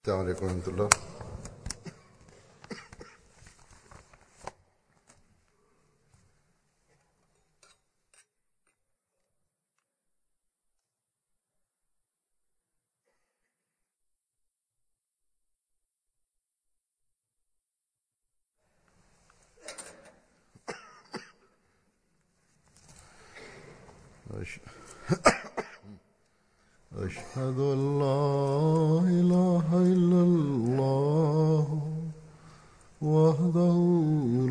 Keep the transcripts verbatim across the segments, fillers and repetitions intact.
السلام عليكم ورحمة الله. أشهد أن لا إله إلا الله وحده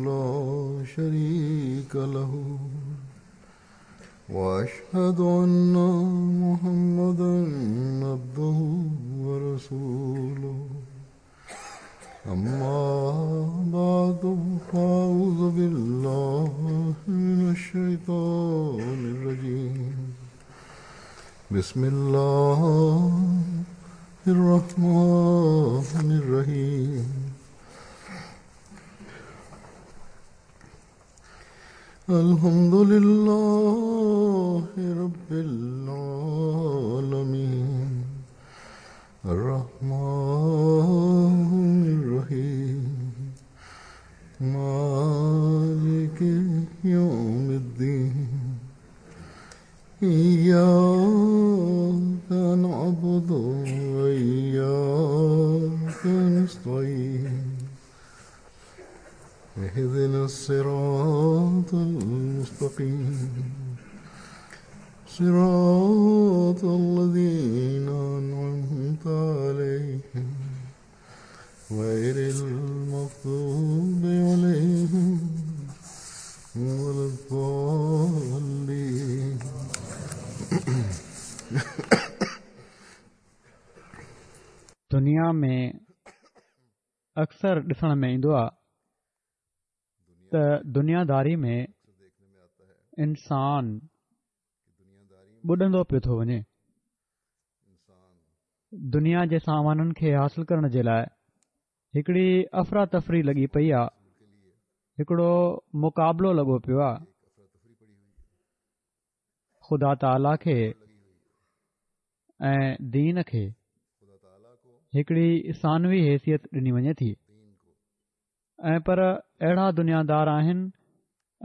لا شريك له وأشهد أن محمدا عبده ورسوله. أما بعد، فأعوذ بالله من الشيطان الرجيم. بسم الله الرحمن الرحيم. الحمد لله رب العالمين الرحمن الرحيم مالك يوم الدين. إياك نعبد وإياك نستعين. اهدنا الصراط المستقيم صراط الذين أنعمت عليهم غير المغضوب عليهم ولا الضالين. دنيا ۾ اڪثر ڏسڻ ۾ ايندو آهي ته دنياداري ۾ انسان ٻڏندو پيو ٿو وڃي. دنيا جي سامانن کي حاصل ڪرڻ جي لاءِ هڪڙي افراتفري لڳي پئي آهي، هڪڙو مقابلو لڳو پيو آهي. خدا تعاليٰ کي ۽ دين کي هڪڙي ثانوي حيثيت ڏني وڃي ٿي، ۽ پر اهڙا دنيادار آهن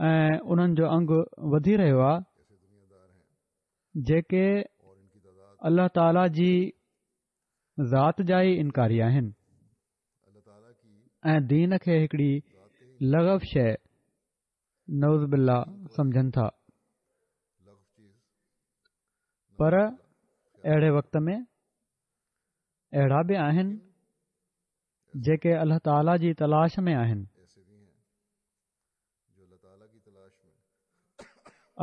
۽ انهن جو انگ وڌي رهيو آهي جيڪي الله تعاليٰ جي ذات جا ئي انڪاري آهن ۽ دين کي هڪڙي لغو شيءِ نعوذ بالله سمجهن ٿا. پر اهڙي وقت ۾ اهڙا به آهن جيڪي الله تعاليٰ جي تلاش ۾ آهن،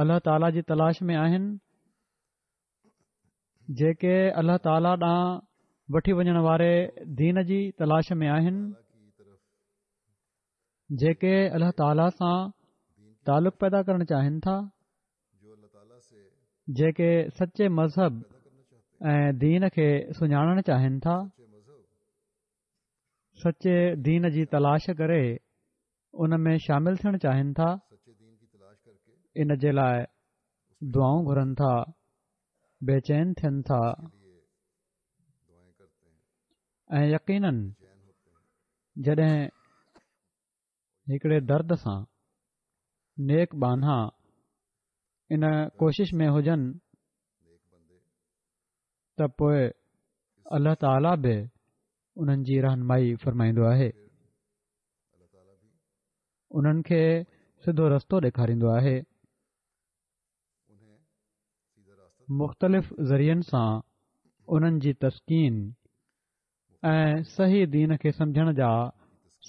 الله تعاليٰ جي تلاش ۾ آهن جيڪي الله تعاليٰ ڏانهن وٺي وڃڻ واري دين جي تلاش ۾ آهن، جيڪي الله تعاليٰ سان تعلق پيدا ڪرڻ چاهين ٿا، جيڪي سچي مذهب ۽ دين کي سڃاڻڻ چاهين ٿا، سچي دين جي تلاش ڪري ان ۾ شامل ٿيڻ چاهين ٿا، ان جي لاءِ دعائون گهرن ٿا، بيچين ٿين ٿا ۽ يقينن جڏهن هڪڙي درد سان نيڪ ٻانها ان ڪوشش ۾ هجن ته پوءِ الله تعاليٰ به انهن جي رهنمائي فرمائيندو آهي، انهن کي سڌو رستو ڏيکاريندو آهي. مختلف ذريعن سان انهن جي تسڪين ۽ صحيح دين کي سمجهڻ جا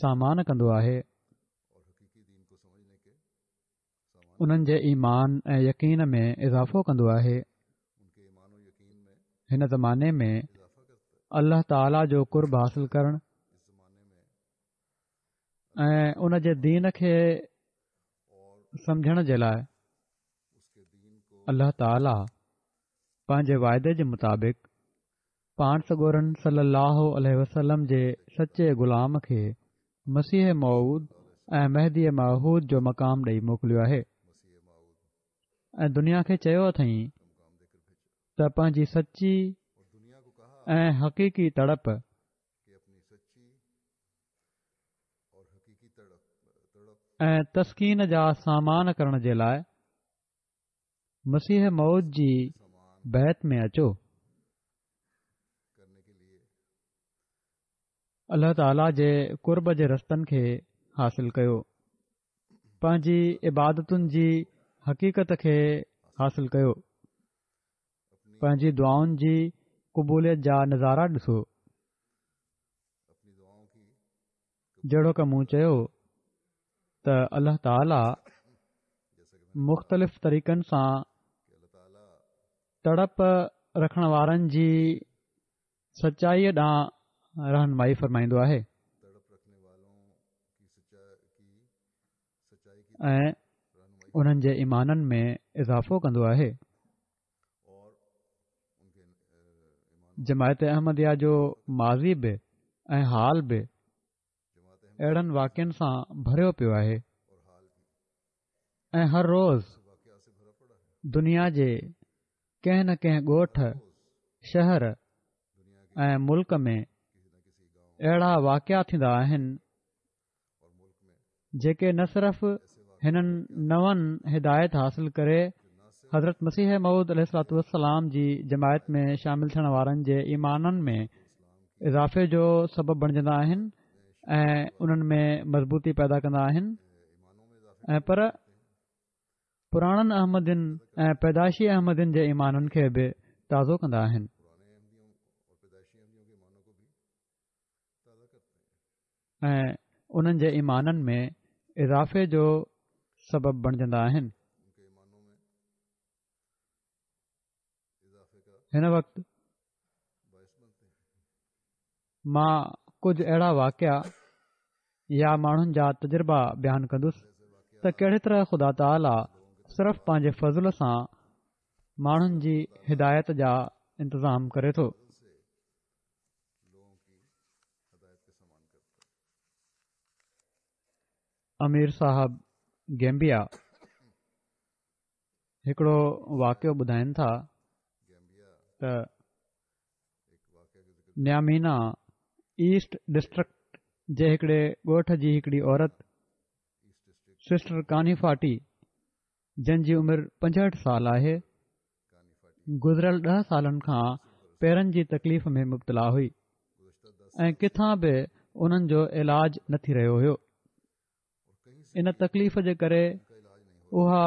سامان ڪندو آهي. انهن جي ايمان ۽ يقين ۾ اضافو ڪندو آهي. هن زماني ۾ الله تعاليٰ جو قرب حاصل ڪرڻ ۽ ان جي دين کي سمجهڻ جي لاءِ الله تعاليٰ پنهنجي واعدي جي مطابق پاڻ سڳورن صلي الله عليه وسلم جي سچي غلام کي مسيح موعود ۽ مهدي معهود جو مقام ڏئي موڪليو آهي ۽ دنيا کي چيو اٿئين ته پنهنجي سچي ۽ حقيقي تڙپ ۽ تسڪين جا سامان ڪرڻ جي لاءِ مسيح موعود جي بيعت ۾ اچو. الله تعاليٰ جي قرب جي رستن کي حاصل ڪيو، پنهنجي عبادتن جي حقيقت کي حاصل ڪيو، پنهنجي دعائن جي قبوليت جا نظارا ڏسو. جهڙوڪ مون چيو ته الله تعاليٰ مختلف طريقن سان تڙپ رکڻ وارن جي سچائيءَ ڏانهن رهنمائي فرمائيندو آهي ۽ انهن جي ايمانن ۾ اضافو ڪندو آهي. جماعت احمديه جو ماضي به ۽ حال به اهڙن واقعن سان ڀريو پيو آهي ۽ هر روز دنيا جي ڪنهن نه ڪنهن ڳوٺ، شهر ۽ ملڪ ۾ اهڙا واقعا ٿيندا آهن جيڪي نه صرف هنن نون هدايت حاصل ڪري حضرت مسيح موعود عليه الصلوة والسلام جي جماعت ۾ شامل ٿيڻ وارن جي ايمانن ۾ اضافي جو سبب بڻجندا آهن ۽ انهن ۾ مضبوطي پيدا ڪندا آهن ۽ پر پراڻن احمدين ۽ پيدائشي احمدين جي ايمانن کي به تازو ڪندا آهن. ۽ انهن جي ايمانن ۾ اضافي جو سبب بڻجندا آهن. هن وقت مان ڪجهه اهڙا واقعا يا ماڻهن جا تجربا بيان ڪندس ته ڪهڙي طرح خدا تعاليٰ صرف پنهنجي فضل سان ماڻهن جي هدايت جا انتظام ڪري ٿو. امير صاحب گيمبيا هڪڙو واقعو ٻڌائين ٿا ته نيامينا ايسٽ ڊسٽرڪٽ جي هڪڙي ڳوٺ جي هڪڙي عورت سسٽر ڪاني فاٽي جن جي عمر پنجهٺ سال آهي، گذريل ڏهه سالن کان پيرن جي تڪليف ۾ مبتلا هئي ۽ ڪٿان به انهن جو علاج نه ٿي رهيو هيو. ان تڪليف جي ڪري اها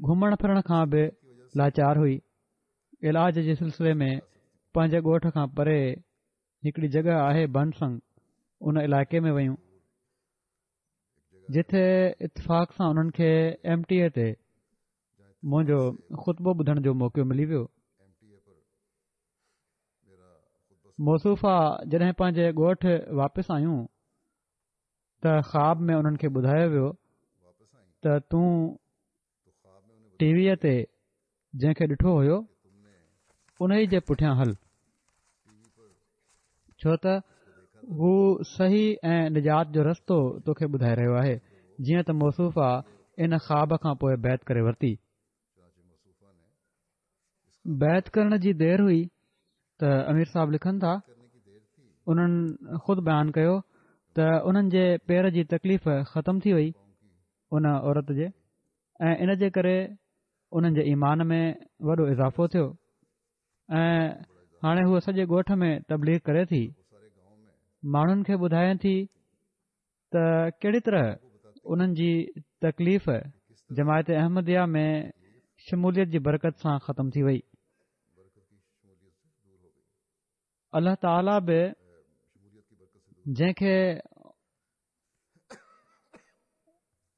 گهمڻ ڦرڻ کان به لاچار هئي. علاج جي سلسلي ۾ پنهنجي ڳوٺ کان پري هڪڙي جڳهه آهي بنسنگ، ان علائقي ۾ ويون، جتي اتفاق سان انهن کي ايم ٽي اي تي منهنجو خطبو ٻڌڻ جو موقعو ملي ويو. موصوفه جڏهن پنهنجي ڳوٺ واپس آيون ته خواب ۾ انهن کي ٻڌايو ويو ته تون ٽي ويء تي جنهن کي ڏٺو هيو انهي جي پٺيان هل، ڇو ته هو صحيح ۽ نجات جو رستو توکي ٻڌائي رهيو آهي. جيئن ته موصوفه ان خواب کان پوء بيعت ڪري ورتي. بيعت ڪرڻ جي دير هئي ته امير صاحب لکن ٿا، انهن خود بيان ڪيو ته انهن جي پير جي تڪليف ختم ٿي وئي ان عورت جي، ۽ ان جي ڪري انهن جي ايمان ۾ وڏو اضافو ٿيو ۽ هاڻي هوء سڄي ڳوٺ ۾ تبليغ ڪري ٿي، ماڻهن کي ٻڌائي ٿي ته ڪهڙي طرح انهن جي تڪليف جماعت احمديه ۾ شموليت جي برڪت سان ختم ٿي وئي. الله تعاليٰ به جنهن کي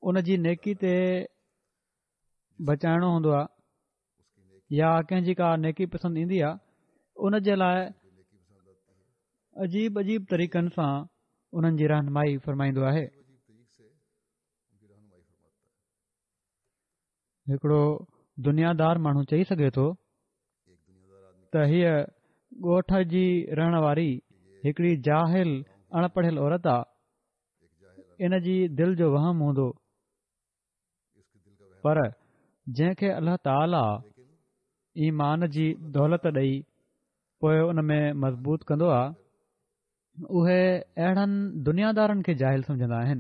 ان جي نيڪي تي بچائڻو هوندو آهي يا ڪنهن جي ڪا نيڪي پسند ايندي آهي، ان جي لاءِ عجيب عجيب طريقن سان انهن جي رهنمائي فرمائيندو آهي. هڪڙو دنيادار ماڻهو چئي سگهي ٿو ته هيء ڳوٺ جي رهڻ واري هڪڙي جاهل اڻ پڙهيل عورت آ، ان جي دل جو وهم هوندو، پر جنهن کي الله تعاليٰ ايمان جي دولت ڏئي پوءِ ان ۾ مضبوط ڪندو آ، اهي اهڙن دنيادارن کي جاهل سمجهندا آهن.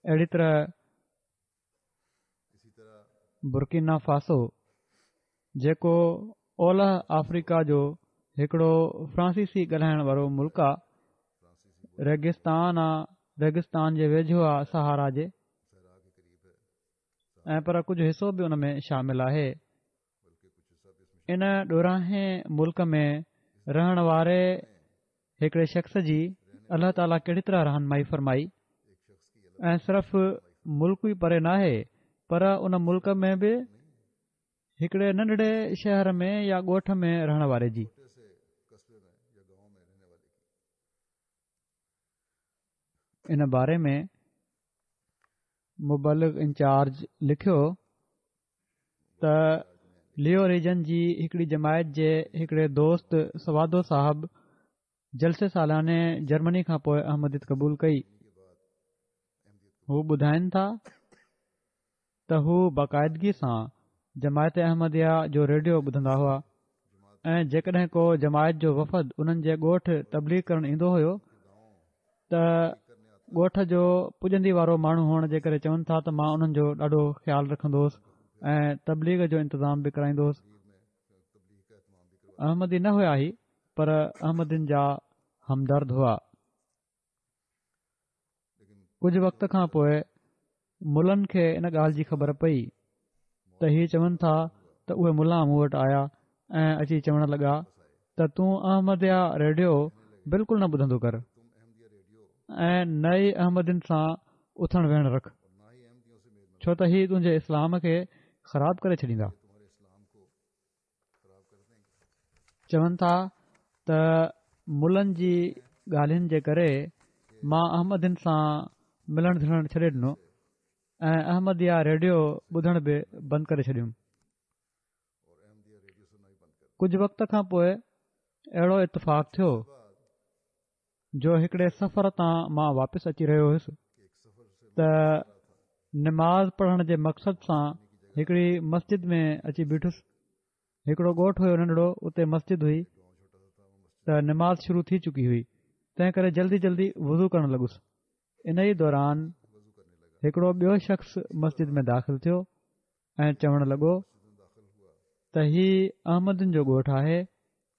اهڙي طرح برڪينا فاسو، جيڪو اولهه آفريڪا جو هڪڙو فرانسيسي ڳالهائڻ وارو ملڪ آ، ريگستان آ، ريگستان جي ويجهو آ صحارا جي، ۽ پر ڪجهه حصو به ان ۾ شامل آهي. ان ڏورانهين ملڪ ۾ رهڻ واري هڪڙي شخص جي الله تعاليٰ ڪهڙي طرح رهنمائي فرمائي، ۽ صرف ملڪ ئي پري ناهي پر ان ملڪ ۾ به هڪڙي ننڍڙي شهر ۾ يا ڳوٺ ۾ رهڻ واري جي. ان باري ۾ مبلغ انچارج لکيو ته ليو ريجن جي هڪڙي جماعت جي هڪڙي دوست سوادو صاحب جلسي سالاني جرمني کان پوء احمديت قبول ڪئي. هو ٻڌائن ٿا ته هو باقاعدگي سان جماعت احمديه جو ريڊيو ٻڌندا هئا ۽ جيڪڏهن ڪو جماعت جو وفد انهن جي ڳوٺ تبليغ ڪرڻ ايندو هيو ته ڳوٺ جو پڄندي وارو ماڻهو هئڻ جي ڪري چون ٿا ته مان انهن جو ڏاڍو خيال رکندو هوس ۽ تبليغ جو انتظام به ڪرائيندو هوس. احمدي نه هيا هي پر احمدين جا همدرد هئا. ڪجهه وقت کان پوء ملن کي ان ڳالهه جي خبر پئي ته هي چون ٿا ته اهي ملا مون وٽ آيا ۽ اچي چوڻ لڳا ته تون احمديه ريڊيو بلڪل نه ٻڌندو ڪر ۽ نه ئي احمدين سان اٿڻ ويهڻ رک، ڇو ته هي تنهنجي اسلام کي خراب ڪري ڇڏيندا. چون ٿا ته ملن جي ڳالهين جي ڪري مان احمدين سان ملڻ جلڻ ڇڏي ڏنو ۽ احمديه ريڊيو ٻڌڻ به بند ڪري ڇڏيم. ڪجهه وقت کان پوء اهڙو اتفاق ٿيو جو هڪڙي سفر تان مان واپس اچي رهيو هيس ته نماز پڙهڻ جي مقصد سان هڪڙي مسجد ۾ اچي بيٺس. هڪڙو ڳوٺ هيو ننڍڙو، اتي مسجد هئي ته نماز شروع ٿي چڪي هئي، تنهن ڪري جلدي جلدي وضو ڪرڻ لڳس. انهيء دوران هڪڙو ٻيو شخص مسجد ۾ داخل ٿيو ۽ چوڻ لڳو ته هي احمدين جو ڳوٺ آهي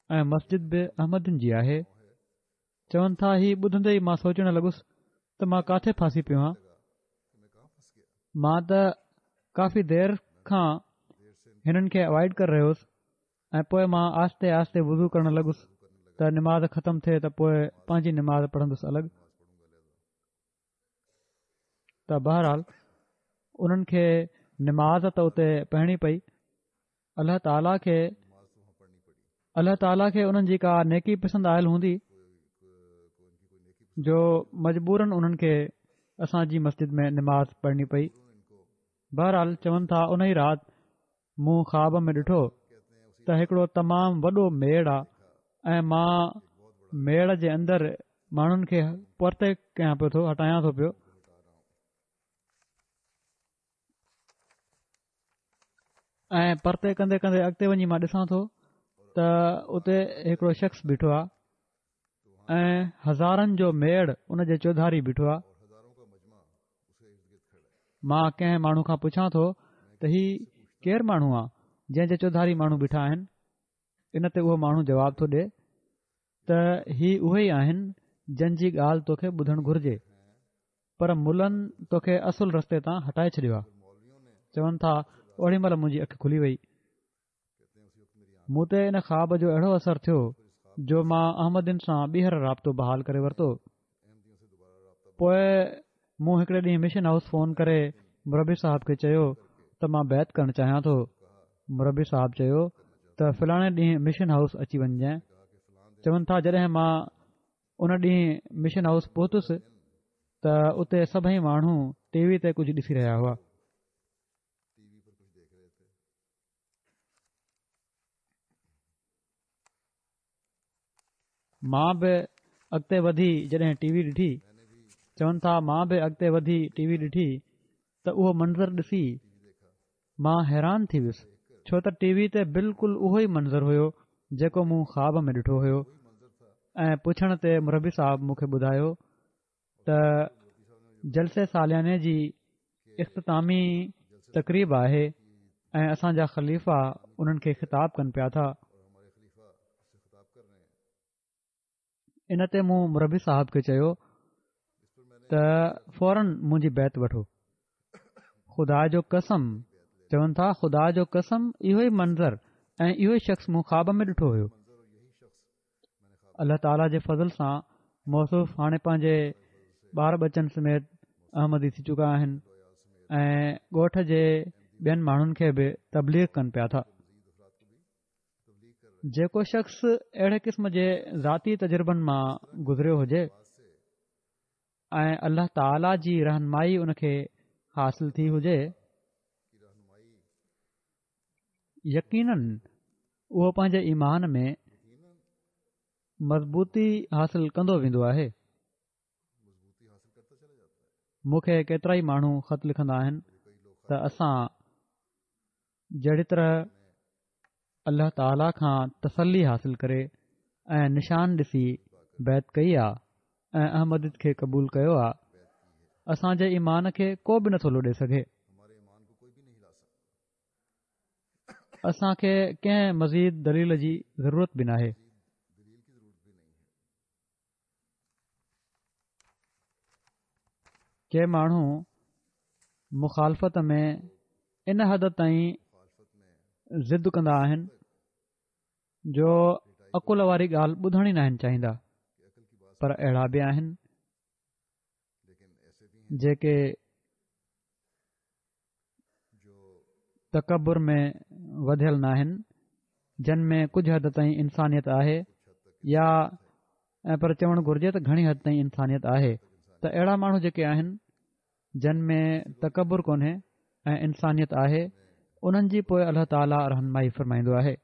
۽ مسجد به احمدين جي آهي. چون ٿا هي ٻڌندي ئي مان سوچڻ لڳس ته مان ڪاٿي ڦاسي پيو آهيان، مان ته ڪافي دير کان هنن کي اوائڊ ڪري رهيو هوس ۽ پوء مان آهستي آهستي وضو ڪرڻ لڳس ته نماز ختم ٿئي ته پوء پنهنجي نماز پڙهندس الڳ. ته بهرحال انهن کي نماز ته اتي پڙهڻي پئي. الله تعاليٰ کي الله تعاليٰ کي انهن جي ڪا نيڪي پسند آيل هوندي جو مجبوراً انهن کي اسان جي مسجد ۾ نماز پڙهڻي پئي. بهرحال چون ٿا ان ئي رات مون خواب ۾ ڏٺو ته هڪڙو تمام وڏو ميڙ آ ۽ مان ميڙ جي اندر ماڻهن کي پرتي ڪيان پيو ٿو هٽايان ٿو پيو. ۽ پرتي ڪندي ڪندي اڳتي وڃي مان ڏسان ٿو ته اتي هڪڙو شخص بيٺو آ ۽ هزارن جو ميڙ ان جي چوڌاري بيٺو آ. مان ڪنهن ماڻهو کان پڇان ٿو ته هي ڪير ماڻهو آ جنهن جي چوڌاري ماڻهو بيٺا آهن؟ ان تي اهو ماڻهو جواب ٿو ڏي ته هي اهي ئي آهن جن جي ڳالهه توکي ٻڌڻ گهرجي، پر ملن توکي اصل رستي تان هٽائي ڇڏيو آ. چون ٿا اوڏي مهل منهنجي اک کلي وئي. مون تي ان خواب جو اهڙو اثر ٿيو جو مان احمدين سان ٻيهر رابطو بحال ڪري ورتو. پوء مون هڪڙي ڏينهن مشن هائوس فون ڪري مربي صاحب کي چيو ته مان بيعت ڪرڻ چاهيان ٿو. مربي صاحب چيو ته فلاڻي ڏينهن مشن هائوس اچي وڃجانء. چون ٿا جڏهن مان ان ڏينهن مشن هائوس پهتس ته اتي سڀئي ماڻهو ٽي وي تي ڪجهه ڏسي رهيا هئا. مان به اڳتي وڌي جڏهن ٽي وي ڏٺي، چون ٿا مان به اڳتي وڌي ٽي وي ڏٺي ته اهو منظر ڏسي مان حيران ٿي ويس، ڇو ته ٽي وي تي بلڪل اهو ئي منظر هيو جيڪو مون خواب ۾ ڏٺو هيو ۽ پڇڻ تي مربي صاحب مون کي ٻڌايو ته جلسي سالياني جي اختتامي تقريب آهي ۽ اسان جا خليفا انهن کي خطاب ڪن پيا ٿا. ان تي مون مربي صاحب کي چيو ته فورن منهنجي بيعت وٺو. خدا جو قسم، چون ٿا خدا جو قسم اهو ئي منظر ۽ اهو ئي شخص مون خواب ۾ ڏٺو هيو. الله تعاليٰ جي فضل سان موصوف هاڻي پنهنجي ٻار ٻچن سميت احمدي ٿي چڪا آهن ۽ ڳوٺ جي ٻين ماڻهن کي به تبليغ ڪن پيا ٿا. جيڪو شخص اهڙي قسم جي ذاتي تجربن مان گذريو هجي ۽ الله تعاليٰ جي رهنمائي ان کي حاصل ٿي هجي، يقينن اهو پنهنجي ايمان ۾ مضبوطي حاصل ڪندو ويندو آهي. مون کي ڪيترائي ماڻهو خط لکندا آهن ته اسان جهڙي طرح الله تعاليٰ کان تسلي حاصل ڪري ۽ نشان ڏسي بيعت ڪئي آ ۽ احمديت کي قبول ڪيو آ، اسان جي ايمان کي ڪو به نٿو لوڏي سگهي. اسان کي ڪنهن مزيد دليل جي ضرورت به ناهي. ڪي ماڻهو مخالفت ۾ ان حد تائين ضد ڪندا آهن جو عقل واري ڳالهه ٻڌڻ ئي ناهن چاهيندا، پر اهڙا به آهن جيڪي تڪبر ۾ وڌيل ناهن، جن ۾ ڪجهه حد تائين انسانيت آهي يا ۽ پر چوڻ گهرجي ته گهڻي حد تائين انسانيت آهي ته اهڙا ماڻهو جيڪي آهن جن ۾ تڪبر ڪونهي ۽ انسانيت آهي انهن جي پوء الله تعاليٰ رهنمائي فرمائيندو آهي.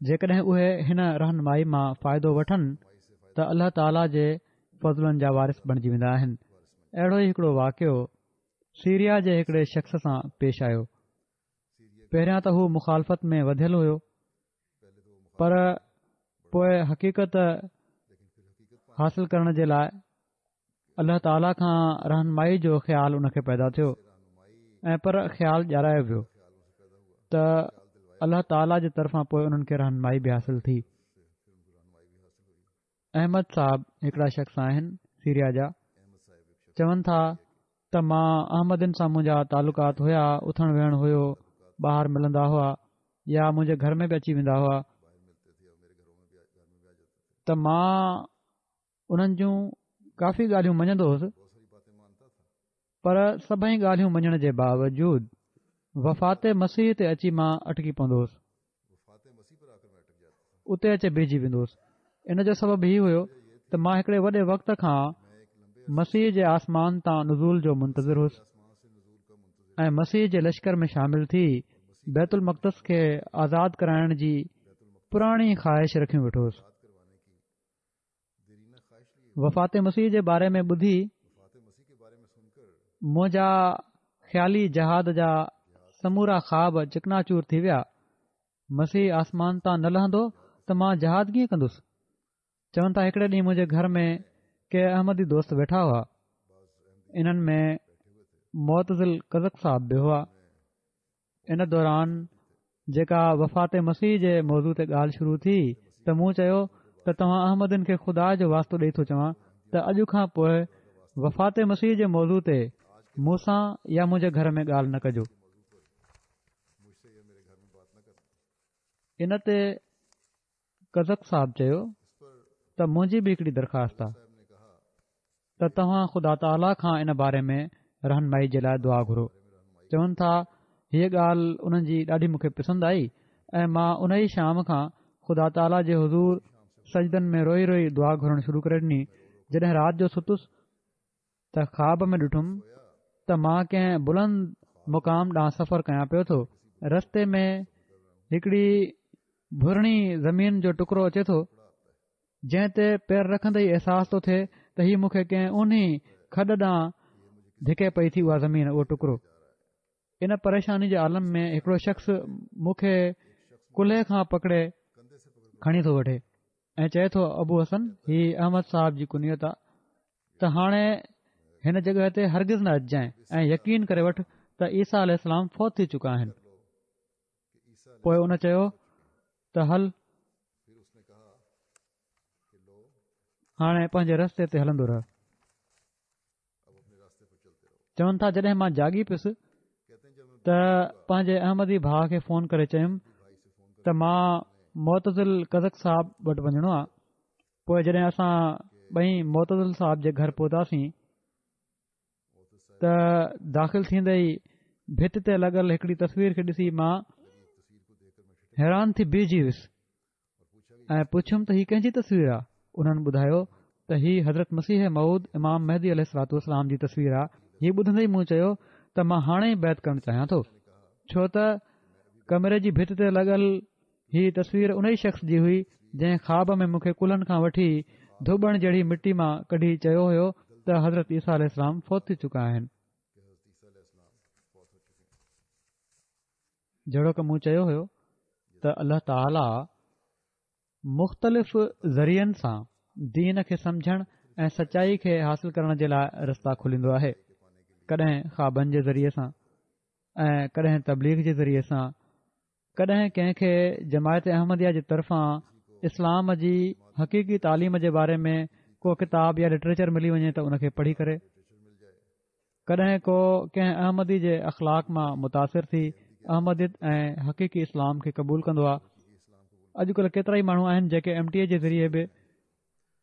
جيڪڏهن اهي هن رهنمائي مان فائدو وٺن ته الله تعاليٰ جي فضلن جا وارث بڻجي ويندا آهن. اهڙو ئي هڪڙو واقعو سيريا جي هڪڙي شخص سان پيش آيو. پهريان ته هو مخالفت ۾ وڌيل هيو پر پوء حقيقت حاصل ڪرڻ جي لاء الله تعاليٰ کان رهنمائي جو خيال ان کي پيدا ٿيو ۽ پر خيال ڏيارايو ويو ته الله تعاليٰ جي طرفان پوء انهن کي رهنمائي به حاصل ٿي. احمد صاحب هڪڙا شخص آهن سيريا جا، چون ٿا ته مان احمدين سان منهنجا تعلقات هيا، اٿڻ ويهڻ هيو، ٻاهر ملندا هئا يا منهنجي گهر ۾ به اچي ويندا هئا ته مان انهن جون ڪافي ڳالهيون مڃندو هوس پر سڀئي ڳالهيون مڃڻ جي باوجود وفات مسيح تي اچي مان اٽڪي پوندو هوس، اتي اچي بيهجي ويندو هوس. ان جو سبب هي هيو ته مان هڪڙي وڏي وقت کان مسيح جي آسمان تان نزول جو منتظر هوس ۽ مسيح جي لشڪر ۾ شامل ٿي بيت المقدس کي آزاد ڪرائڻ جي پراڻي خواهش رکيون ويٺو هوس. وفات مسيح جي باري ۾ ٻڌي منهنجا خيالي جهاد جا سمورا خواب چڪناچور ٿي ويا. مسيح آسمان تان نه لهندو ته مان جهاد ڪيئن ڪندس؟ چون ٿا هڪڙي ڏينهن منهنجي گهر ۾ ڪي احمدي دوست ويٺا هئا. انهن ۾ معتزل قزق صاحب به هئا. ان دوران جيڪا وفات مسيح جي موضوع تي ڳالهه شروع ٿي ته مون چيو ته توهان احمدين کي خدا جو واسطو ڏئي ٿو چوان ته اڄ کان پوء وفات مسيح جي موضوع تي مون سان يا منهنجي گهر ۾ ڳالهه نه ڪجو. ان تي قزق صاحب چيو ته منهنجي به هڪڙي درخواست آ ته توهان خدا تعاليٰ کان ان باري ۾ رهنمائي جي لاء دعا گهرو. چون ٿا هيء ڳالهه انهن جي ڏاڍي مون کي پسند آئي ۽ مان ان ئي شام کان خدا تعاليٰ جي حضور سجدن ۾ روئي روئي دعا گهرڻ شروع ڪري ڏني. جڏهن رات جو ستس ته خواب ۾ ڏٺم ته مان ڪنهن بلند مقام ڏانهن سفر ڪيان پيو ٿو. رستي ۾ هڪڙي ڀرڻي زمين جو ٽڪرو اچي ٿو، جنهن تي پير رکندي ئي احساس ٿو ٿئي ته هي مون کي ڪنهن اونهي کڏ ڏانهن ڌڪي پئي ٿي اها زمين اهو ٽڪرو. ان پريشاني جي عالم ۾ هڪڙو شخص مون کي ڪلهي کان پڪڙي کڻي ٿو وٺي. ۽ چئي ٿو ابو حسن، هي احمد صاحب جي ڪنيت آ، ته هاڻي هن جڳهه تي هرگز نه اچجانء ۽ يقين ڪري وٺ ته عيسيٰ عليه السلام فوت ٿي چڪا آهن. پوء ان چيو ته هل هاڻي پنهنجي رستي تي هلندو رهه. چون ٿا جڏهن مان جاڳي پيس ته پنهنجي احمدي ڀاء کي فون ڪري چيم ته مان معتزل قزق صاحب وٽ وڃڻو آ. پوء جڏهن اسان ٻئي معتزل صاحب جي گهر پهتاسين ته داخل ٿيندي ئي ڀت تي لڳل هڪڙي تصوير کي ڏسي مان حيران ٿي بيهجي ويس ۽ پڇيم ته هي ڪنهن جي تصوير آ؟ انهن ٻڌايو ته هي حضرت مسيح موعود امام مهدي عليه الصلوة والسلام جي تصوير آ. هي ٻڌندي ئي مون چيو ته مان هاڻي ئي بيعت ڪرڻ چاهيان ٿو، ڇو ته ڪمري جي ڀت تي لڳل هي تصوير انهي شخص جي هئي جنهن خواب ۾ مون کي ڪلهن کان وٺي ڌوٻڻ جهڙي مٽي مان ڪڍي چيو هيو ته حضرت عيسيٰ عليه السلام فوت ٿي چڪا آهن. جهڙوڪ مون چيو هيو ته الله تعاليٰ مختلف ذريعن سان دين کي سمجهڻ ۽ سچائي کي حاصل ڪرڻ جي لاء رستا کوليندو آهي. ڪڏهن خوابن جي ذريعي سان ۽ ڪڏهن تبليغ جي ذريعي سان، ڪڏهن ڪنهن کي جماعت احمديه جي طرفان اسلام جي حقيقي تعليم جي باري ۾ ڪو ڪتاب يا لٽريچر ملي وڃي ته ان کي پڙهي ڪري، ڪڏهن ڪو ڪنهن احمدي جي اخلاق مان متاثر ٿي احمديت ۽ حقيقي اسلام کي قبول ڪندو آهي. اڄڪلهه ڪيترائي ماڻهو آهن جيڪي ايم ٽي اي جي ذريعي به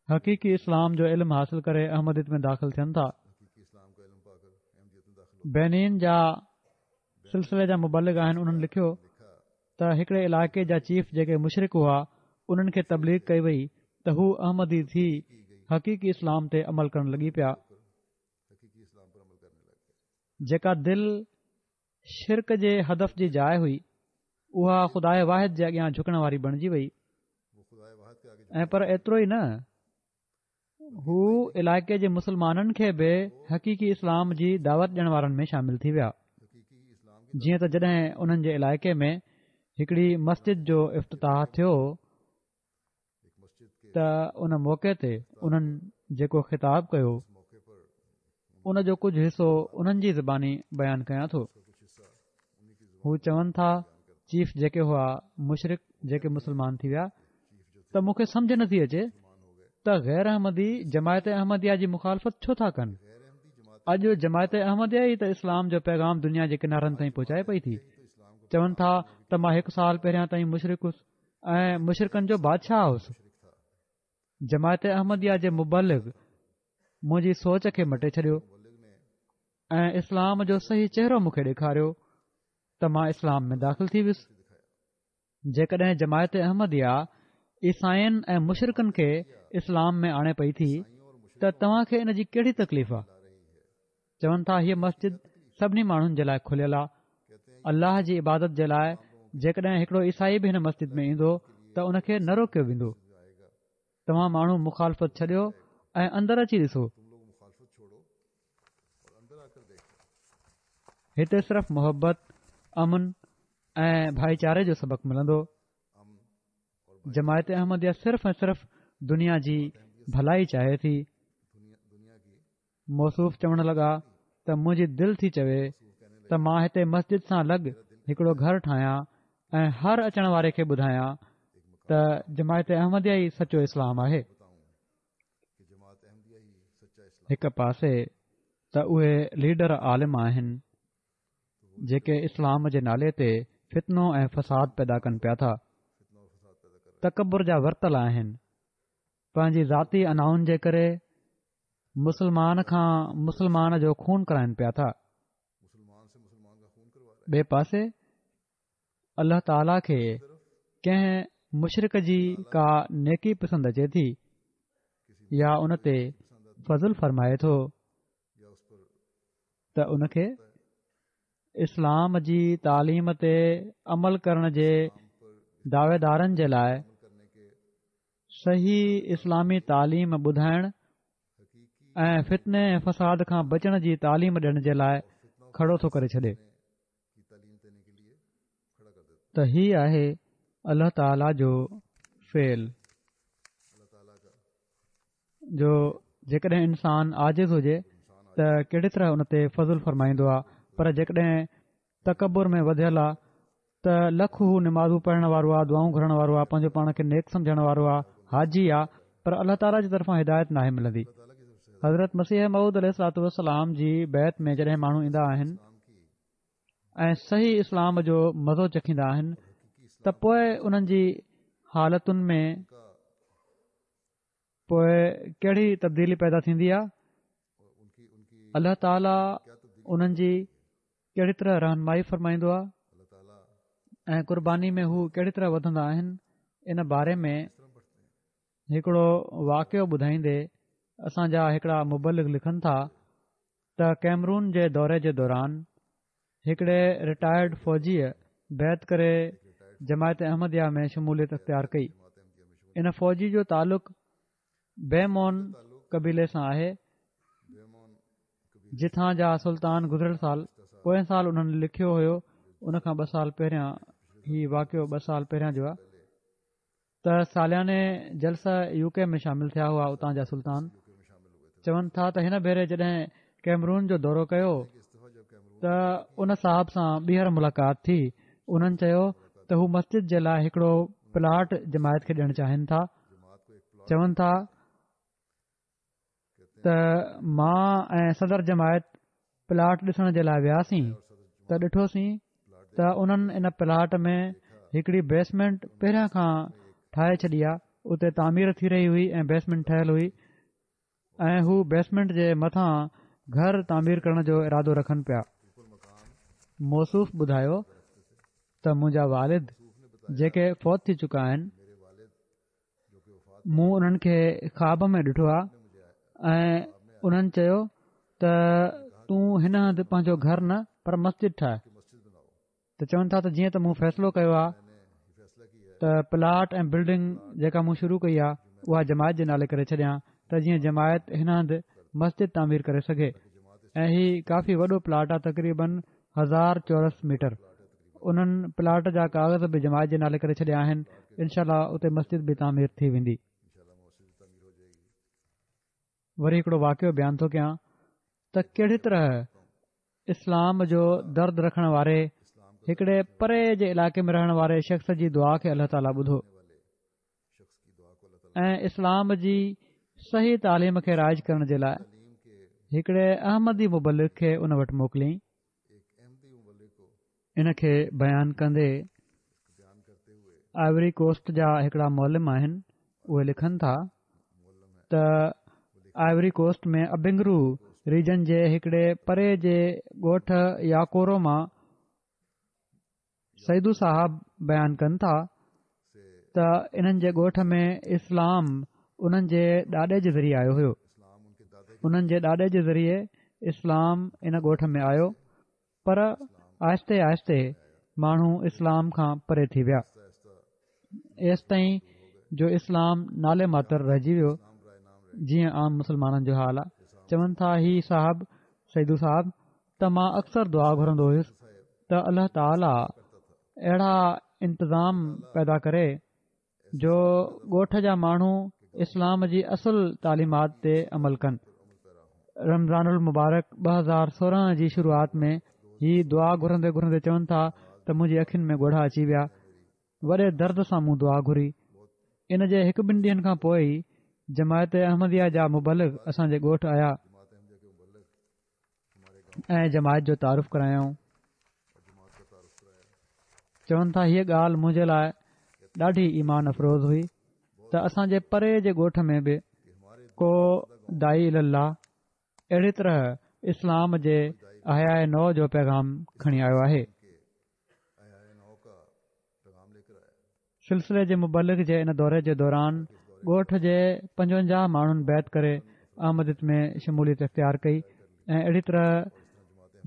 حقيقي اسلام جو علم حاصل ڪري احمديت ۾ داخل ٿين ٿا. بينين جا سلسلي جا مبلغ آهن انهن لکيو ته هڪڙي علائقي جا چيف جيڪي مشرڪ هئا انهن کي تبليغ ڪئي وئي ته هو احمدي ٿي حقيقي اسلام تي عمل ڪرڻ لڳي پيا. جيڪا دل شرڪ جي هدف جي جاء هئي اها خداء واحد جي اڳيان جهڪڻ واري بڻجي وئي ۽ پر ايترو ئي نه هو علائقي جي مسلمانن کي به حقيقي اسلام جي دعوت ڏيڻ وارن ۾ شامل ٿي ويا. جيئن ته جڏهن انهن جي علائقي ۾ هڪڙي مسجد جو افتتاح ٿيو ته ان موقعي تي انهن جيڪو خطاب ڪيو ان جو ڪجهه حصو انهن جي زباني بيان ڪيان ٿو. هو چون ٿا چيف جيڪي هئا مشرڪ جيڪي مسلمان ٿي ويا ته مون کي سمجهه نٿي اچي ته غير احمدي جماعت احمديه جي مخالفت ڇو ٿا ڪن. اڄ جماعت احمديه ئي ته اسلام جو پيغام دنيا جي ڪنارن تائين پهچائي پئي ٿي. چون ٿا ته مان هڪ سال پهريان تائين مشرڪ هوس ۽ مشرڪن جو بادشاهه هوس. جماعت احمديه جي مبلغ منهنجي سوچ کي مٽي ڇڏيو ۽ اسلام جو صحيح چهرو مون کي ڏيکاريو ته مان اسلام ۾ داخل ٿي ويس. جيڪڏهن جماعت احمديه عيسائين ۽ مشرڪن کي اسلام ۾ آڻي پئي ٿي ته توهان کي ان جي ڪهڙي تڪليف آ؟ چون ٿا هيء مسجد سڀني ماڻهن جي لاء کليل آ، الله جي عبادت جي لاء جيڪڏهن هڪڙو عيسائي به هن مسجد ۾ ايندو ته ان کي نه روڪيو ويندو. توهان ماڻهو مخالفت ڇڏيو ۽ اندر اچي ڏسو. هتي صرف محبت، امن ۽ ڀائيچاري جو سبق ملندو. جماعت احمديه صرف ۽ صرف دنيا جي ڀلائي چاهي ٿي. موصوف چوڻ لڳا ته منهنجي دل ٿي چوي ته مان هتي مسجد سان لڳ هڪڙو گهر ٺاهيان ۽ هر اچڻ واري کي ٻڌايان ته جماعت احمديه ئي سچو اسلام آهي. هڪ پاسي ته اهي ليڊر عالم آهن جيڪي اسلام جي نالي تي فتنو ۽ فساد پيدا ڪن پيا ٿا، تڪبر جا ورتل آهن، پنهنجي ذاتي انائن جي ڪري مسلمان کان مسلمان جو خون ڪرائن پيا ٿا. ٻئي پاسي الله تعاليٰ کي ڪنهن مشرڪ جي ڪا نيڪي پسند اچي ٿي يا ان تي فضل فرمائي ٿو ته ان کي اسلام جي تعليم تي عمل ڪرڻ جي دعويدارن جي لاء صحيح اسلامي تعليم ٻڌائڻ ۽ فتني ۽ فساد کان بچڻ جي تعليم ڏيڻ جي لاء کڙو ٿو ڪري ڇڏي ته هي آهي الله تعاليٰ جو فعل. جو جيڪڏهن انسان عاجز هجي ته ڪهڙي طرح ان تي فضل فرمائيندو آهي، پر جيڪڏهن تڪبر ۾ وڌيل آهي ته لک هو نمازون پڙهڻ وارو آهي، دعائون گهرڻ وارو آهي، پنهنجو پاڻ کي نيڪ سمجهڻ وارو آهي، حاجي آهي، پر الله تعاليٰ جي طرفان هدايت ناهي ملندي. حضرت مسيح موعود عليه الصلوة والسلام جي بيعت ۾ جڏهن ماڻهو ايندا آهن ۽ صحيح اسلام جو مزو چکيندا آهن ته پوء انهن جي حالتن ۾ پوء ڪهڙي تبديلي پيدا ٿيندي آهي، الله تعاليٰ انهن جي ڪهڙي طرح رهنمائي فرمائيندو آهي ۽ قرباني ۾ هو ڪهڙي طرح وڌندا آهن، ان باري ۾ هڪڙو واقعو ٻڌائيندي اسان جا هڪڙا مبلغ لکن ٿا ته ڪيمرون جي دوري جي دوران هڪڙي رٽائرڊ فوجيء بيعت ڪري جماعت احمديه ۾ شموليت اختيار ڪئي. ان فوجي جو تعلق بيمون قبيلي سان آهي، جتان جا سلطان گذريل سال پوئين سال انهن لکيو هيو، ان کان ٻه سال پهريان، هي واقعو ٻه سال پهريان جو آهي، ته سالياني جلسه يو ڪي ۾ شامل ٿيا هئا. اتان جا سلطان چون ٿا ته هن ڀيري جڏهن ڪيمرون جو دورو ڪيو ته ان صاحب سان ٻيهر ملاقات ٿي. انهن چيو ته هو مسجد جي لاء هڪڙو پلاٽ جماعت کي ڏيڻ چاهين ٿا. چون ٿا ته مان ۽ صدر جماعت پلاٽ ڏسڻ جي لاء وياسين ته ڏٺوسين ته انهن ان پلاٽ ۾ هڪڙي بيسمينٽ پهريان کان ٺاهي ڇڏي آ، اتي تعمير ٿي رهي هئي ۽ بيسمينٽ ٺهيل هئي ۽ هو بيسمينٽ جي مٿان گهر تعمير ڪرڻ جو ارادو رکن پيا. موصوف ٻڌايو ته منهنجا والد جيڪي فوت ٿي چڪا آهن، مون انهن کي خواب ۾ ڏٺو آهي ۽ انهن چيو ته تون هن هنڌ پنهنجو گهر نه پر مسجد ٺاهه. ته چون ٿا ته جيئن ته مون فيصلو ڪيو آهي ته پلاٽ ۽ بلڊنگ جيڪا مون شروع ڪئي آهي اها جماعت جي نالي ڪري ڇڏيان ته جيئن جماعت هن هنڌ مسجد تعمير ڪري سگهي ۽ هي ڪافي وڏو پلاٽ آهي، تقريبن هزار چورس ميٽر. انهن پلاٽ جا ڪاغذ به جماعت جي نالي ڪري ڇڏيا آهن، انشاء الله اتي مسجد به تعمير ٿي ويندي. وري هڪڙو واقعو بيان ٿو ڪيان ته ڪهڙي طرح اسلام جو درد رکڻ واري هڪڙي پري جي علائقي ۾ رهڻ واري شخص جي دعا کي الله تعاليٰ ٻڌو ۽ اسلام جي صحيح تعليم کي رائج ڪرڻ جي لاء هڪڙي احمدي مبلغ کي ان وٽ موڪليائين. ان کي بيان ڪندي آئيوري ڪوسٽ جا هڪڙا معلم آهن، اهي لکن ٿا ته آئيوري ڪوسٽ ۾ ابنگرو ريجن جي هڪڙي پري جي ڳوٺ ياڪورو مان سيدو صاحب بيان ڪن ٿا ته انهن جي ڳوٺ ۾ اسلام انهن جي ڏاڏي جي ذريعي آيو هيو. انهن جي ڏاڏي جي ذريعي اسلام ان ڳوٺ ۾ آيو، پر آهستي آهستي ماڻهو اسلام کان پري ٿي ويا، ايستائين جو اسلام نالي ماتر رهجي ويو، جيئن عام مسلمانن جو حال آ. چون ٿا هي صاحب سيدو صاحب ته مان اڪثر دعا گهرندو هيس ته الله تعاليٰ اهڙا انتظام پيدا ڪري جو ڳوٺ جا ماڻهو اسلام جي اصل تعليمات تي عمل ڪن. رمضان المبارڪ ٻه هزار سورهن جي شروعات ۾ هي دعا گهرندي گهرندي چون ٿا ته منهنجي اکين ۾ ڳوڙها اچي ويا. وڏي درد سان مون دعا گهري. ان جي هڪ ٻن ڏينهن کان پوء ئي جماعت احمديه جا مبلغ اسان جي ڳوٺ آيا ۽ جماعت جو تعارف ڪرايائون. چون ٿا هيء ڳالهه منهنجي لاء ڏاڍي ايمان افروز هئي ته اسان جي پري جي ڳوٺ ۾ به ڪو داعي الي الله اهڙي طرح اسلام جي احياء نو جو پيغام کڻي آيو آهي. سلسلي جي مبلغ جي ان دوري جي دوران ڳوٺ جي پنجونجاهه ماڻهن بيعت ڪري احمديت ۾ شموليت اختيار ڪئي ۽ اهڙي طرح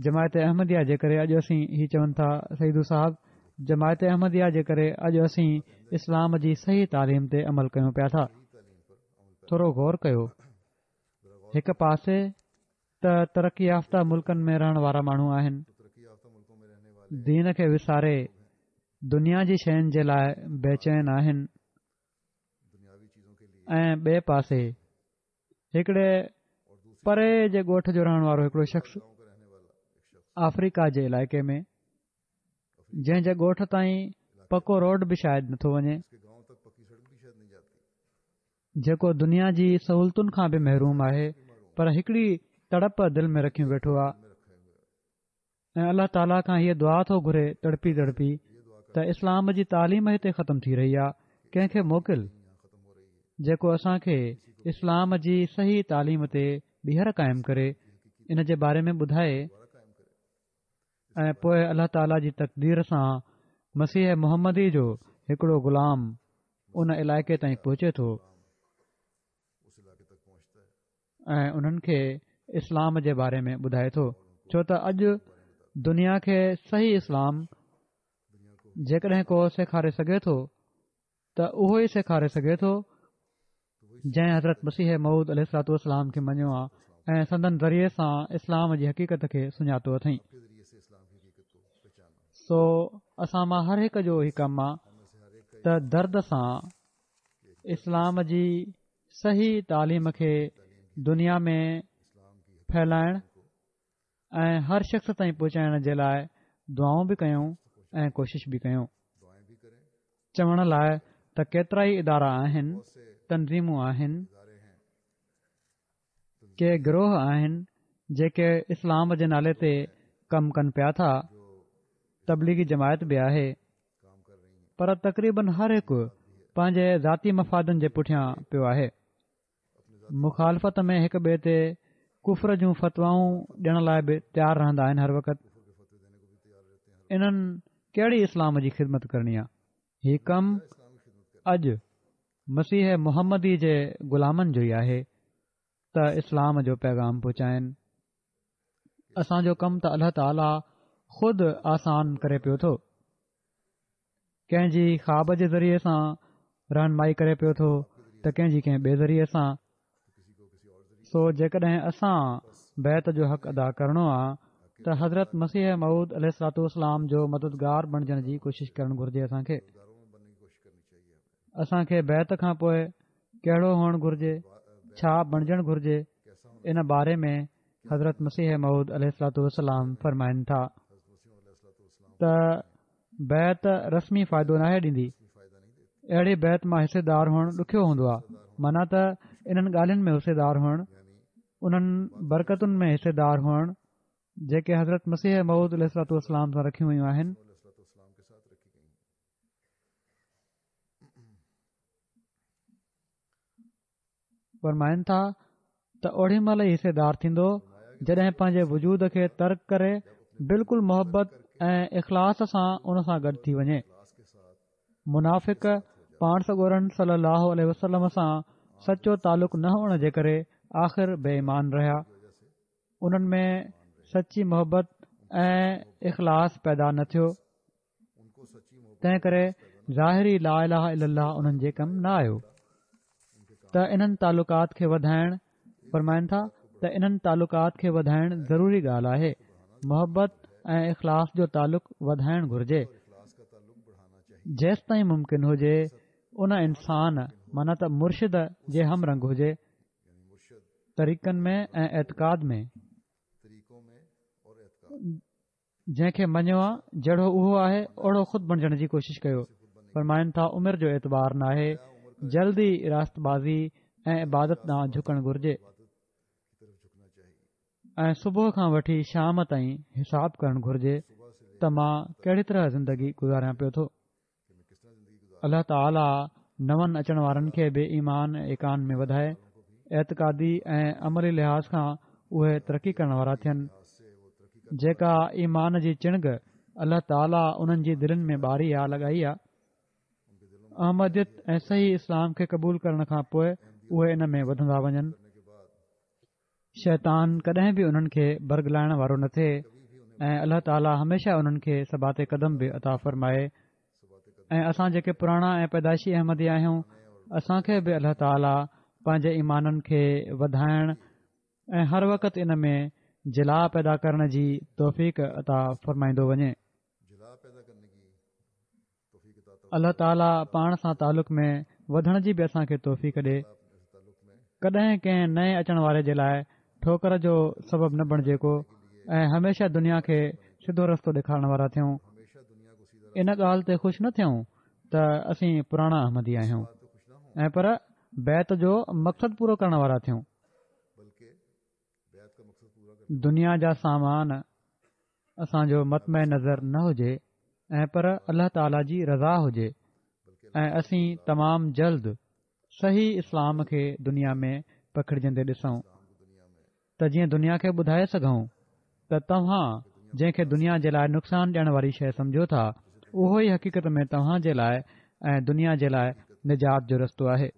جماعت احمديه جي ڪري اڄ اسين، هي چون ٿا سيدو صاحب، جماعت احمديه جي ڪري اڄ اسين اسلام جي صحيح تعليم تي عمل ڪيون پيا ٿا. ٿورو غور ڪيو، هڪ پاسي ته ترقي يافته ملڪن ۾ رهڻ وارا ماڻهو آهن، دين کي وساري دنيا جي شين جي لاء بيچين آهن ۽ ٻئي پاسي هڪڙي پري جي ڳوٺ جو رهڻ وارو هڪڙو شخص آفريڪا جي علائقي ۾، جنهن جي ڳوٺ تائين پڪو روڊ به شايد نٿو وڃي، جيڪو دنيا جي سهولتن کان به محروم آهي، پر هڪڙي تڙپ دل ۾ رکيون ويٺو آهي ۽ الله تعاليٰ کان هيء دعا ٿو گهري تڙپي تڙپي ته اسلام جي تعليم هتي ختم ٿي رهي آهي، ڪنهن کي موڪل جيڪو اسان کي اسلام جي صحيح تعليم تي ٻيهر قائم ڪري، ان جي باري ۾ ٻڌائي. ۽ پوء الله تعاليٰ جي تقدير سان مسيح محمدي جو هڪڙو غلام ان علائقي تائين پهچي ٿو ۽ انهن کي اسلام جي باري ۾ ٻڌائي ٿو، ڇو ته اڄ دنيا کي صحيح اسلام جيڪڏهن ڪو سيکاري سگهي ٿو ته اهو ئي سيکاري سگهي ٿو جنهن حضرت مسيح موعود عليه الصلوة والسلام کي مڃيو آهي ۽ سندن ذريعي سان اسلام جي حقيقت کي سڃاتو اٿئين. سو اسان مان هر هڪ جو هي ڪم آ ته درد سان اسلام جي صحيح تعليم کي دنيا ۾ ڦهلائڻ ۽ هر شخص تائين پهچائڻ جي لاء دعائون به ڪيون ۽ ڪوشش به ڪيون. چوڻ لاء ته ڪيترائي ادارا آهن، تنظيمون آهن، ڪي گروهه آهن جيڪي اسلام جي نالي تي ڪم ڪن پيا ٿا، تبليغي جماعت به آهي، پر تقريبن هر هڪ پنهنجي ذاتي مفادن جي پٺيان پيو آهي. مخالفت ۾ هڪ ٻئي تي ڪفر جون فتوائون ڏيڻ لاء به تيار رهندا آهن هر وقت. انهن ڪهڙي اسلام جي خدمت ڪرڻي آ؟ هي ڪم اڄ مسيح محمدي جي غلامن جو ئي آهي ته اسلام جو پيغام پهچائن. اسان جو ڪم ته الله تعاليٰ خود آسان ڪري پيو ٿو. ڪنهن جي خواب جي ذريعي سان رهنمائي ڪري پيو ٿو ته ڪنهن جي ڪنهن ٻئي ذريعي سان. سو جيڪڏهن اسان بيعت جو حق ادا ڪرڻو آ ته حضرت مسيح موعود عليه الصلوة والسلام جو مددگار بڻجڻ جي ڪوشش ڪرڻ گهرجي. اسان کي اسان کي بيعت کان پوء ڪهڙو هئڻ گهرجي، ڇا بڻجڻ گهرجي، ان باري ۾ حضرت مسيح موعود عليه الصلوة والسلام فرمائن ٿا ته بيعت رسمي فائدو ناهي ڏيندي. اهڙي بيعت مان حصيدار هئڻ ڏکيو هوندو آهي، معنيٰ ته انهن ڳالهين ۾ حصيدار هئڻ، انهن برڪتن ۾ حصيدار هئڻ جيڪي حضرت مسيح موعود عليه الصلوة والسلام سان رکيون ويون آهن. فرمائن ٿا ته اوڏي مهل ئي حصيدار ٿيندو جڏهن پنهنجي وجود کي ترڪ ڪري بلڪل محبت ۽ اخلاص سان ان سان گڏ ٿي وڃي. منافق پاڻ سڳورن صلي الله عليه وسلم سان سچو تعلق نه هئڻ جي ڪري آخر بي ايمان رهيا. انهن ۾ سچي محبت ۽ اخلاص پيدا نه ٿيو. تنهن ڪري ظاهري لا اله الا الله انهن جي ڪم نه آيو ته انهن تعلقات کي وڌائڻ فرمائن ٿا ته انهن تعلقات کي وڌائڻ ضروري ڳالهه آهي. محبت ۽ اخلاص جو تعلق وڌائڻ گهرجي. جيستائين ممڪن هجي ان انسان معنيٰ ته مرشد جي هم رنگ هجي طريقن ۾ ۽ اعتقاد ۾. جنهن کي مڃيو آ جهڙو اهو آهي اوڙو خود بڻجڻ جي ڪوشش ڪيو. فرمائن ٿا عمر جو اعتبار ناهي، جلد ئي راست بازي ۽ عبادت ڏانهن جهڪڻ گهرجي ۽ صبح کان وٺي شام تائين حساب ڪرڻ گهرجي ته مان ڪهڙي طرح زندگي گذاريان پيو ٿو. الله تعالي نون اچڻ وارن کي به ايمان ۽ ايقان ۾ وڌائي، اعتقادي ۽ عملي لحاظ کان اهي ترقي ڪرڻ وارا ٿين، جيڪا ايمان جي چڻگ الله تعالي انهن جي دلين ۾ ٻاري آ لڳائي آ. احمديت ۽ صحيح اسلام کي قبول ڪرڻ کان پوء اهي ان ۾ وڌندا وڃن. شيطان ڪڏهن به انهن کي برغلائڻ وارو نه ٿئي ۽ الله تعالي هميشه انهن کي ثبات قدم به عطا فرمائي ۽ اسان جيڪي پراڻا ۽ پيدائشي احمدي آهيون اسان کي به الله تعالي پنهنجي ايمانن کي وڌائڻ ۽ هر وقت ان ۾ جلا پيدا ڪرڻ جي توفيق عطا فرمائيندو وڃي. الله تعالي پاڻ سان تعلق ۾ وڌڻ جي به اسان کي توفيق ڏي. ڪڏهن ڪنهن نئين اچڻ واري جي لاءِ ٺوڪر جو سبب نه بڻجي ڪو ۽ هميشه دنيا کي سڌو رستو ڏيکارڻ وارا ٿيون. ان ڳالهه تي خوش نه ٿيون ته اسين پراڻا احمدي آهيون ۽ پر بيعت جو مقصد پورو ڪرڻ وارا ٿيون. دنيا جا سامان اسان جو مطمع نظر نه هجي ۽ پر الله تعاليٰ جي رضا هجي ۽ اسين تمام جلد صحيح اسلام کي دنيا ۾ پکڙجندي ڏسون ته جيئن دنيا کي ٻڌائي سگهون ته توهان جنهن کي دنيا جي لاءِ نقصان ڏيڻ واري شيءِ سمجهو ٿا اهو ئي حقيقت ۾ توهان جي لاءِ ۽ دنيا جي لاءِ نجات جو رستو آهي.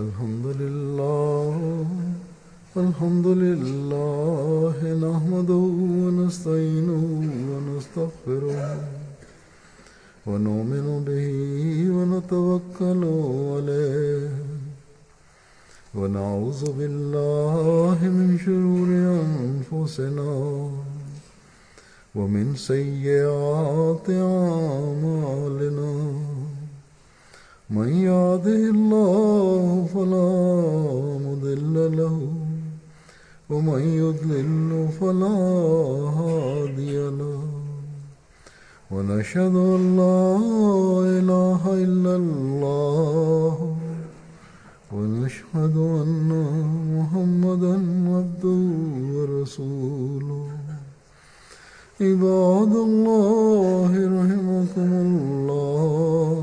الحمد لله الحمد لله نحمده ونستعينه ونستغفره ونؤمن به ونتوكل عليه ونعوذ بالله من شرور أنفسنا ومن سيئات أعمالنا من يهده الله فلا مضل له ومن يضلل فلا هادي له ونشهد أن لا إله إلا الله ونشهد أن محمدا عبده ورسوله. عباد الله رحمكم الله،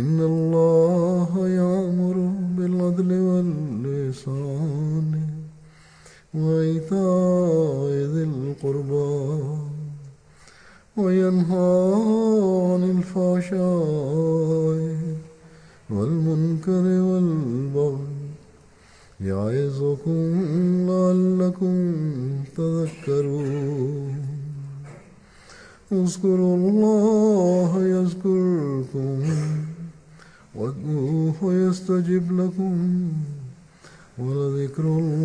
إن الله يأمر بالعدل والإحسان وإيتاء ذي القربى وينهى عن الفحشاء والمنكر والبغي يعظكم لعلكم تذكرون. اذكروا الله يذكركم وادعوه يستجب لكم ولذكر الله